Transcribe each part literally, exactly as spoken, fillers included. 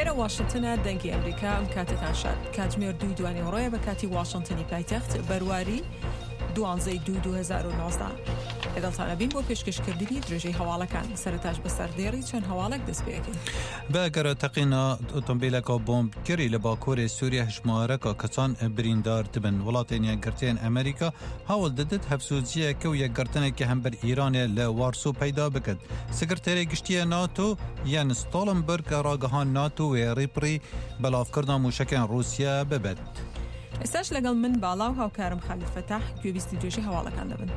ئێرە واشنتنە، دەنگی ئەمریکا. ئەم کاتتان شاد. کاتژمێر دووی دوانیوەڕۆیە بە کاتی واشنتنی پایتەخت، بەرواری دوانزەی دوو دوو هەزار و نۆزدە. لەگەڵتانە بین بۆ پێشکەشکردنی درێژەی هەواڵەکان. سەرەتاش بەسەر دێڕی چەند هەواڵێک دەست پێەکەین. بە ئەگەرە تەقینا ئۆتۆمبیلەکە بۆمبکردی لە باکووری سووریا هەژمارەکە کەسان بریندار دبن. وڵاتên یەکگرتوویên ئەمریکا هەوڵ دەدت هەفسوزیەکە و یەکگرتنێکی هەمبەر ئیرانێ لە وارسۆ پەیدا بکات. سکرتێری گشتیە ناتۆ یەن ستۆڵنبرگ ڕاگەهان ناتۆ وێ ڕیپڕی بەلاڤکردنا موشەکên ڕوسیا ببێت. ئێستاش لەگەڵ من باڵا و هاوکارم خالید فەتاح گوێبیستی درێژەی هەواڵەکان دەبن.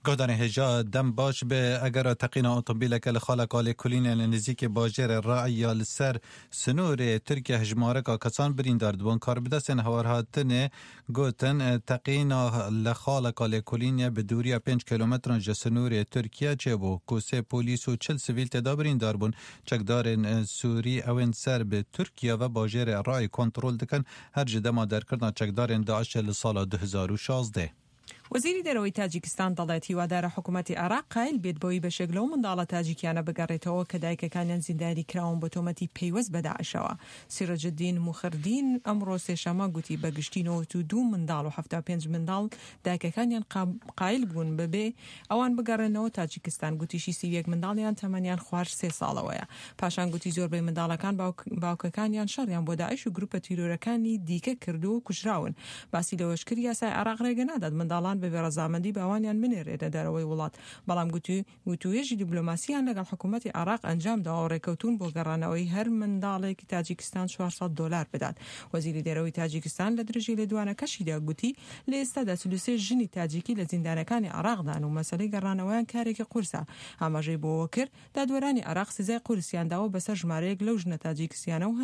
گادان هێژا دەم باش بێ ئەگەر تەقینا ئۆتۆمبیلەکە لە خاڵەکە لێکۆلینە لە نزیکی باژێرە ڕاعیە لەسەر سنوورێ تورکیا هەژمارەکە کەسان بریندار دبوون. کاربدەستên هەوارهاتنێ گوتن تەقینا لە خاڵەکە لێکۆلینە بە دووریە پێنج کیلۆمەتران ji سنوورێ تورکیا چێبوو کو سێ پۆلیس و چل سڤیل تێدا بریندار بوون. چەکدارên سووری ئەوên سەر bi Tirkiye ve bajêrê Rayê kontrol dikin her ji dema derkirina çekdarên Daişê li sala du hezar û şazdeh. وەزیری دەرەوەی تاجیکستان دەڵێت هیوادارە حکوومەتی عێراق قایل بێت بەوەی بەشێک لەو منداڵە تاجیکیانە بگەڕێتەوە کە دایکەکانیان زیندانی کراون بە تۆمەتی پەیوەست بە داعشەوە. سیرەجدین موخردین ئەمڕۆ سێشەمە گوتی بە گشتی نەوەت و دوو منداڵ و حەفتا و پێنج منداڵ دایکەکانیان قایل بوون بەبێ ئەوان بگەڕێنەوە تاجیکستان. گوتیشی سی و یەک منداڵیان تەمەنیان خوار سێ ساڵەوەیە. پاشان گوتی زۆربەی منداڵەکان باوکەکانیان شەڕیان بۆ داعش و گروپە تیرۆرەکانی دیکە کردووە و کوژراون. باسی لەوەش کرد یاسای عێراق ڕێگە نادات منداڵان بەبێ ڕەزامەندی باوانیان بنێرێتە دەرەوەی وڵات، بەڵام گوتوێژی دیبلۆماسیان لەگەڵ حکوومەتی عێراق ئەنجام داوە و ڕێکەوتون بۆ گەڕانەوەی هەر منداڵێکی تاجیکستان چوار سەد دۆلار بدات. وەزیری دەرەوەی تاجیکستان لە درێژەی لێدوانەکەشیدا گوتی لە ئێستادا چل و سێ ژنی تاجیکی لە زیندانەکانی عێراقدان و مەسەلەی گەڕانەوەیان کارێکی قورسە. ئاماژەی بۆەوە کرد دادوەرانی عێراق سزای قورسیان داوە بەسەر ژمارەیەک لەو ژنە تاجیکستیانە و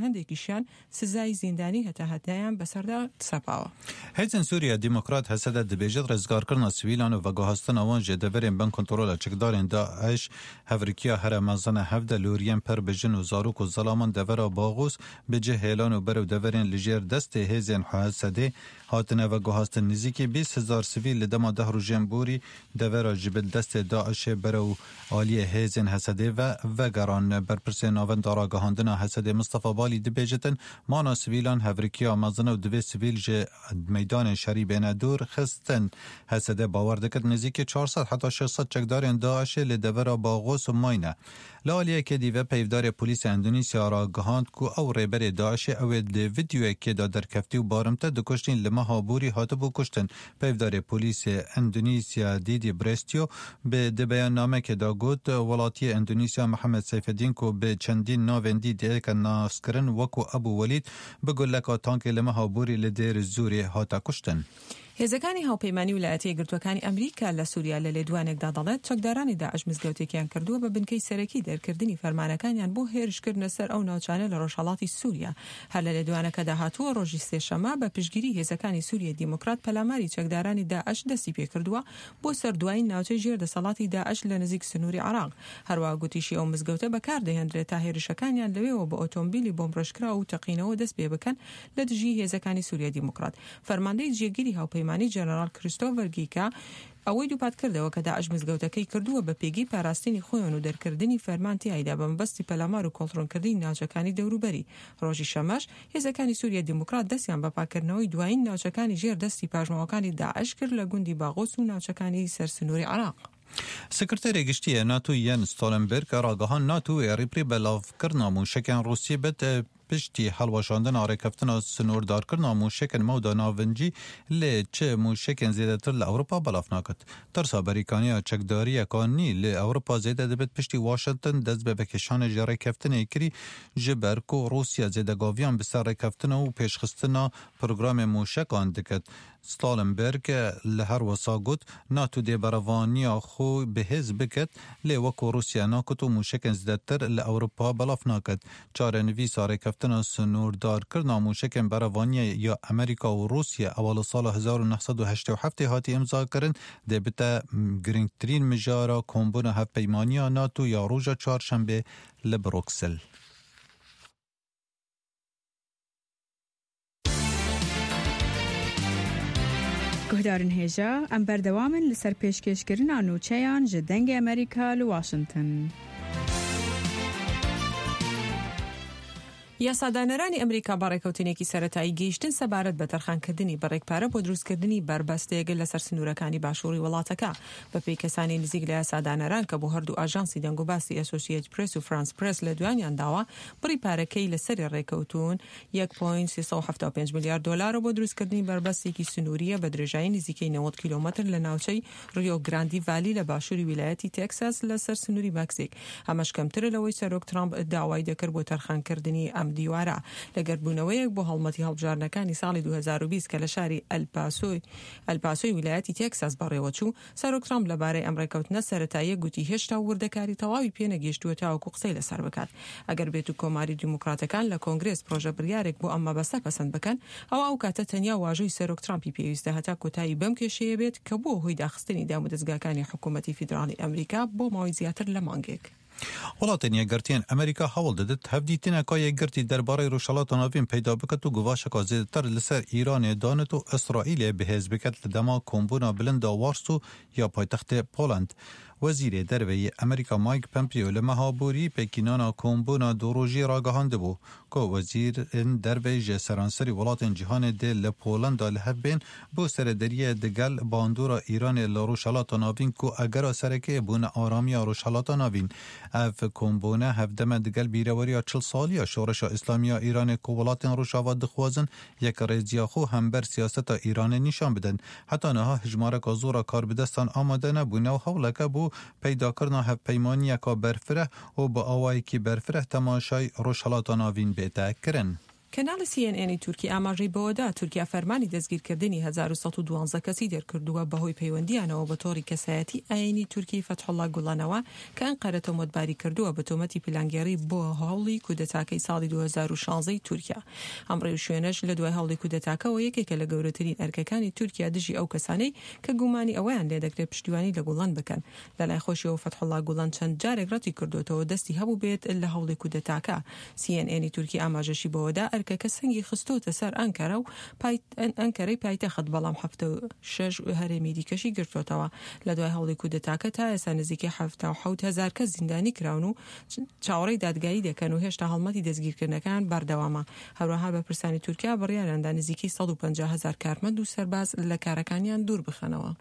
هەندێکیشیان سزای زیندانی هەتا هەتایان بەسەردا سەپاوە. هێزên Sûriya Demokrat Hesede dibêjit rêzgarkirina sivîlan û veguhastina wan ji deverên bin kontrola çekdarên Daîş hevrikiya here mezin e hevde lûriyên pir bi jin û zarok û zelaman devera Baxûs bi cih hêlan û berew deverên li jêr destê hêzên Hesedê hatine veguhastin. Nêzîkî bîst hezar sivîl li dema deh rojên borî devera ji bil destê Daişê berew aliyê hêzên Hesedê ve vegeran. Berpirsê navenda ragihandina Hesedê Mistefa Balî dibêjitin mana sivîlan hevrikiya mezin e û divê sivîl ji meydanên şerî bêne dûr xistin. Hesede bawer dikir nêzîkî çar sed heta şeş sed çekdarên Daişê li devera Baxûs û mayne. Li aliyekê dî ve peyvdarê polîsê Endonezya ragihand ku ew rêberê Daişê ew ê di vîdeoyekê de derkeftî û barimte dikuştîn li meha borî hatibû kuştin. Peyvdarê polîsê Endonezya Dîdî Brestyo bi di beyannamekê de got welatiyê Endonezya Mihemed Seyfedîn ku bi çendîn navên dî diêke naskirin wekû Ebû Welîd bi guleka tankê li meha borî li Dêr Zorê hate kuştin. هێزەکانی هاوپەیمانی ویلایەتە یەکگرتووەکانی ئەمریکا لە سووریا لە لێدوانێکدا دەڵێت چەکدارانی داعش مزگەوتێکیان کردووە بە بنکەی سەرەکی دەرکردنی فەرمانەکانیان بۆ هێرشکردنە سەر ئەو ناوچانە لە ڕۆژهەڵاتی سووریا. هەر لە لێدوانەکەدا هاتووە ڕۆژی سێشەمە بە پشتگیری هێزەکانی سووریای دیموکرات پەلاماری چەکدارانی داعش دەستی پێکردووە بۆ سەر دوایین ناوچەی ژێر دەسەڵاتی داعش لە نزیک سنووری عێراق. هەروەها گوتیشی ئەو مزگەوتە بەکاردەهێنرێت تا هێرشەکانیان لەوێوە بە ئۆتۆمبیلی بۆمبڕێژکراو و تەقینەوە دەست پێ بکەن لە دژی هێزەکانی سووریای دیموکرات. فەرماندەی جێگیری هاوپەیمانی جەنەرال کریستۆفەر گیکا ئەوەی دووپات کردەوە کە داعش مزگەوتەکەی کردووە بە پێگەی پاراستنی خۆیان و دەرکردنی فەرمان تیایدا بە مەبەستی پەلامار و کۆنترۆڵکردنی ناوچەکانی دەوروبەری. ڕۆژی شەمەش هێزەکانی سووریا دیموکرات دەستیان بە پاکردنەوەی دوایین ناوچەکانی ژێر دەستی پاشماوەکانی داعش کرد لە گوندی باغۆس و ناوچەکانی سەر سنووری عێراق. سکرتێری گشتیە ناتۆ یەن ستۆڵنبرگ ڕاگەهاند ناتۆ ڕیپری بەلاڤکردنا موشەکên ڕووسی بێت پشتی هەڵوەشاندنا ڕێکەفتنا سنووردارکردنا موشەکên مەودا ناڤنجی لێ چ موشەکên زێدەتر لە ئەوروپا بەلاف ناکات. ترسا بەریکانیا چەکداریەکانی لە ئەوروپا زێدە دەبێت پشتی واشنگتن دەست بە بەکێشانە ji ڕێکەفتنێ کری ji ber ku Rûsya zêdegaviyan bi ser rêkeftina û pêşxistina programê موشەکان diket. Stoltenberg li her wisa got NATO dê berevaniya xwe bihêz biket lê wekû Rûsya naket û mûşekên zêdetir li Ewropa belav naket. Çarenivîsa rêkeftina sinûrdarkirina mûşekên berevaniyê ya Amerîka û Rûsya ewa li sala hezar û neh sed û heştê û heftê hatî îmzakirin dê bite girîngtirîn mijara kombûna hevpeymaniya NATO ya roja çarşembê li Brûksel. Guhdarên hêja em berdewam in li ser pêşkêşkirina nûçeyan ji Dengê Amerîka li Washington. یاسادانەرانی ئەمریکا بە ڕێکەوتنێکی سەرەتایی گەیشتن سەبارەت بە تەرخانکردنی بڕێک پارە بۆ دروستکردنی بەربەستێک لەسەر سنوورەکانی باشووری وڵاتەکە. بەپێی کەسانی نزیک لە یاسادانەران کە بۆ هەردوو ئاژانسی دەنگوباسی ئەسۆسیەت پرێس و فرانس پرێس لە دوانیان داوە، بڕی پارەکەی لەسەری ڕێکەوتون یەک پۆینت سێ سەد و حەفتا و پێنج ملیار دۆلارە بۆ دروستکردنی بەربەستێکی سنووریە بە درێژایی نزیکەی نەوەد کیلۆمەتر لە ناوچەی ریۆ گراندی ڤالی لە باشووری ویلایەتی تێکساس لەسەر سنووری مەکسیک. ئەمەش کەمترە لەوەی سەرۆک ترامپ داوای دەکرد بۆ تەرخانکردنی ئەم دیوارە. لە گردبوونەوەیەک بۆ هەڵمەتی هەڵبژاردنەکانی ساڵی دوو هەزار و بیست کە لە شاری ئەلپاسۆی ئەلپاسۆی ویلایەتی تێکساس بەڕێوەچوو، سەرۆک ترامپ لەبارەی ئەم ڕێکەوتنە سەرەتاییە گوتی هێشتا وردەکاری تەواوی پێنەگەیشتووە تاوەکو قسەی لەسەر بکات. ئەگەر بێت و کۆماری دیموکراتەکان لە کۆنگرێس پرۆژە بڕیارێک بۆ ئەم مەبەستە پەسەند بکەن، ئەوە ئەو کاتە تەنیا واژۆی سەرۆک ترامپی پێویستە هەتا کۆتایی بەم کێشەیە بێت کە بووە هۆی داخستنی دامودەزگاکانی حکوومەتی فیدراڵی ئەمریکا بۆ ماوەی زیاتر لە مانگێک. وڵاتên Yekgirtiyên Amerîka hewl didit hevdîtineka yekgirtî derbarê Rojhilata Navîn peyda biket û guvaşeka zêdetir li ser Îranê danit û Îsraîlê bihêz biket li dema kombûna bilinda Warsaw ya paytextê Poland. Wezîrê Derveyê Amerîka Mike Pompeo li meha borî pêkînana kombûna du rojî ragihandibû ku wezîrên derveyê ji seranserî welatên cîhanê dê li Polanda li hev bên bo serederiyê digel bandora Îranê li Rojhilata Navîn ku egera serekê bûne aramiya Rojhilata Navîn. Ev kombûne hevdeme digel bîreweriya çil saliya Şoreşa Îslamiya Îranê ku welatên Rojava dixwazin yek rêziya xwe hember siyaseta Îranê nîşan bidin. Heta niha hejmareka zora karbidestan amade nebûne û hewleke bû peydakirina hevpeymaniyeka berfireh û bi awayekî berfireh temaşay Rojhilata Navîn bête kirin. کەناڵی سی ئێن ئێنی تورکی ئاماژەی بەوەدا تورکیا فەرمانی دەستگیرکردنی هەزار و سەد و دوازدە کەسی دەرکردووە بەهۆی پەیوەندیانەوە بە تۆڕی کەسایەتی ئاینی تورکی فەتحوڵا گوڵانەوە کە ئەنقەرە تۆمەتباری کردووە بە تۆمەتی پلانگێڕی بۆ هەوڵی کودەتاکەی ساڵی دوو هەزار و شازدە تورکیا. ئەم ڕێوشوێنەش لە دوای هەوڵی کودەتاکەوە یەکێکە لە گەورەترین ئەرکەکانی تورکیا دژی ئەو کەسانەی کە گومانی ئەوەیان لێدەکرێت پشتیوانی لە گوڵان بکەن. لەلای خۆشیەوە فەتحوڵا گوڵان چەند جارێک ڕەتی کردوێتەوە دەستی هەبوو بێت لە هەوڵی کودەتاکە. سی ئێن ئێنی تورکی ئاماژەشی بەوەدا ئەرکەکە سەنگی خستۆتە سەر ئەنکەرە و ئەنکەرەی پایتەخت، بەڵام حەفتە و شەش هەرێمی دیکەشی گرتوێتەوە. لە دوای هەوڵی کودەتاکە تا ئێستا نزیکەی حەفتا و حەوت هەزار کەس زیندانی کراون و چاوەڕێی دادگایی دەکەن و هێشتا هەڵمەتی دەستگیرکردنەکان بەردەوامە. هەروەها بەرپرسانی تورکیا بڕیاریاندا نزیکەی سەد و پەنجا هەزار کارمەند و سەرباز لە کارەکانیان دوور بخەنەوە.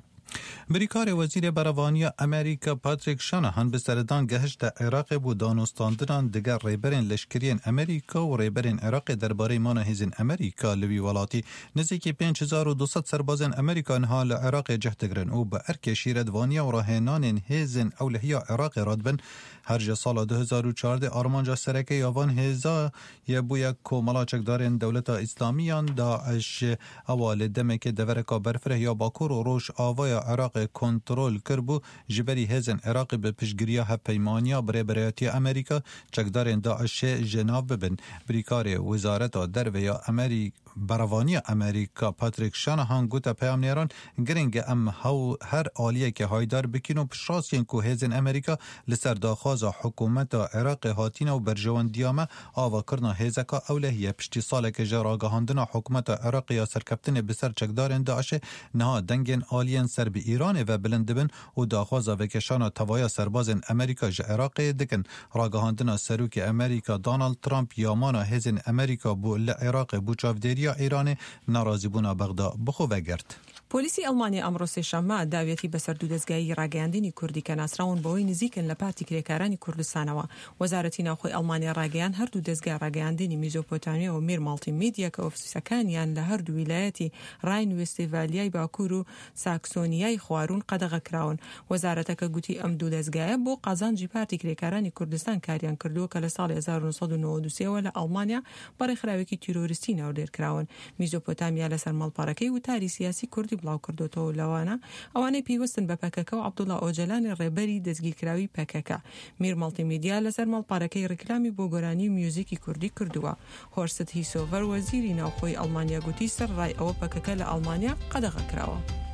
بریکاری وەزیر بەرەڤانیya Amerîka Patrick Shanahan bi seredan gehişte Iraqê bû danûstandinan digel rêberên leşkeriyên Amerîka û rêberên Iraqê derbarê mana hêzên Amerîka li wî welatî. Nêzîkî pênc hezar û du sed serbazên Amerîka niha li Iraqê cih digirin û bi erkê şîretvaniya û rahênanên hêzên ewlehiya Iraqê radibin. Her ji sala du hezar û çardeh armanca sereke ya van hêza ye bûye komela çekdarên Dewleta Îslamiyan Daeş ewa li demekê devereka berfireh ya Bakur û Rojavaya Iraqê kontrol kiribû ji berî hêzên Iraqê bi piştgiriya hevpeymaniya birêberayetiya Amerîka çekdarên Daişê ji nav bibin. Birîkarê Wezareta Derve ya Amerîka Beravaniya Amerîka Patrick Shanahan gote peyamnêran giring e em hew her aliyekê haydar bikin û piştrastiyên ku hêzên Amerîka li ser daxwaza hikûmeta Iraqê hatîne û berjewendiya me avakirina hêzeka ewlehiye. Piştî salekê ji ragihandina hikûmeta Iraqê ya serkeftinê bi ser çekdarên Daişê niha dengên aliyên ser bi Îranê ve bilind dibin û daxwaza vekêşana tevaya serbazên Amerîka ji Iraqê dikin. Ragihandina Serokê Amerîka Donald Trump ya mana hêzên Amerîka bû li Iraqê bû çavdêriya Îranê narazîbûna Bexda bi xwe vegirt. پۆلیسی ئەڵمانیا ئەمڕۆ سێشەممە داویەتی بەسەر دوو دەزگایی ڕاگەیاندنی کوردی کە ناسراون بەوەی نزیکن لە پارتی کرێکارانی کوردستانەوە. وەزارەتی ناوخۆی ئەڵمانیا ڕاگەیان هەردوو دەزگای ڕاگەیاندنی میزۆپۆتامیا و میر ماڵتی میدیا کە ئۆفیسەکانیان لە هەردوو ویلایەتی ڕاین وێستفالیای باکوور و ساکسۆنیای خواروون قەدەغە کراون. وەزارەتەکە گوتی ئەم دوو دەزگایە بۆ قازانجی پارتی کرێکارانی کوردستان کاریان کردووە کە لە ساڵی هەزار و نۆ سەد و نەوەد و سێوە لە ئەڵمانیا بە ڕێکخراوێکی تیرۆریستی ناودێر کراون. میزۆپۆتامیا لەسەر ماڵپەڕەکەی وتاری سیاسی کوردی بڵاو کردوێتەوە لەوانە ئەوانەی پەیوەستن بە پەکەکە و عەبدوڵا ئۆجەلانی ڕێبەری دەستگیرکراوی پەکەکە. میر ماڵتیمیدیا لەسەر ماڵپەڕەکەی ڕیکلامی بۆ گۆرانی و میوزیکی کوردی کردووە. هۆرست هیسۆڤەر وەزیری ناوخۆی ئەڵمانیا گوتی سەر ڕای ئەوە پەکەکە لە ئەڵمانیا قەدەغە کراوە.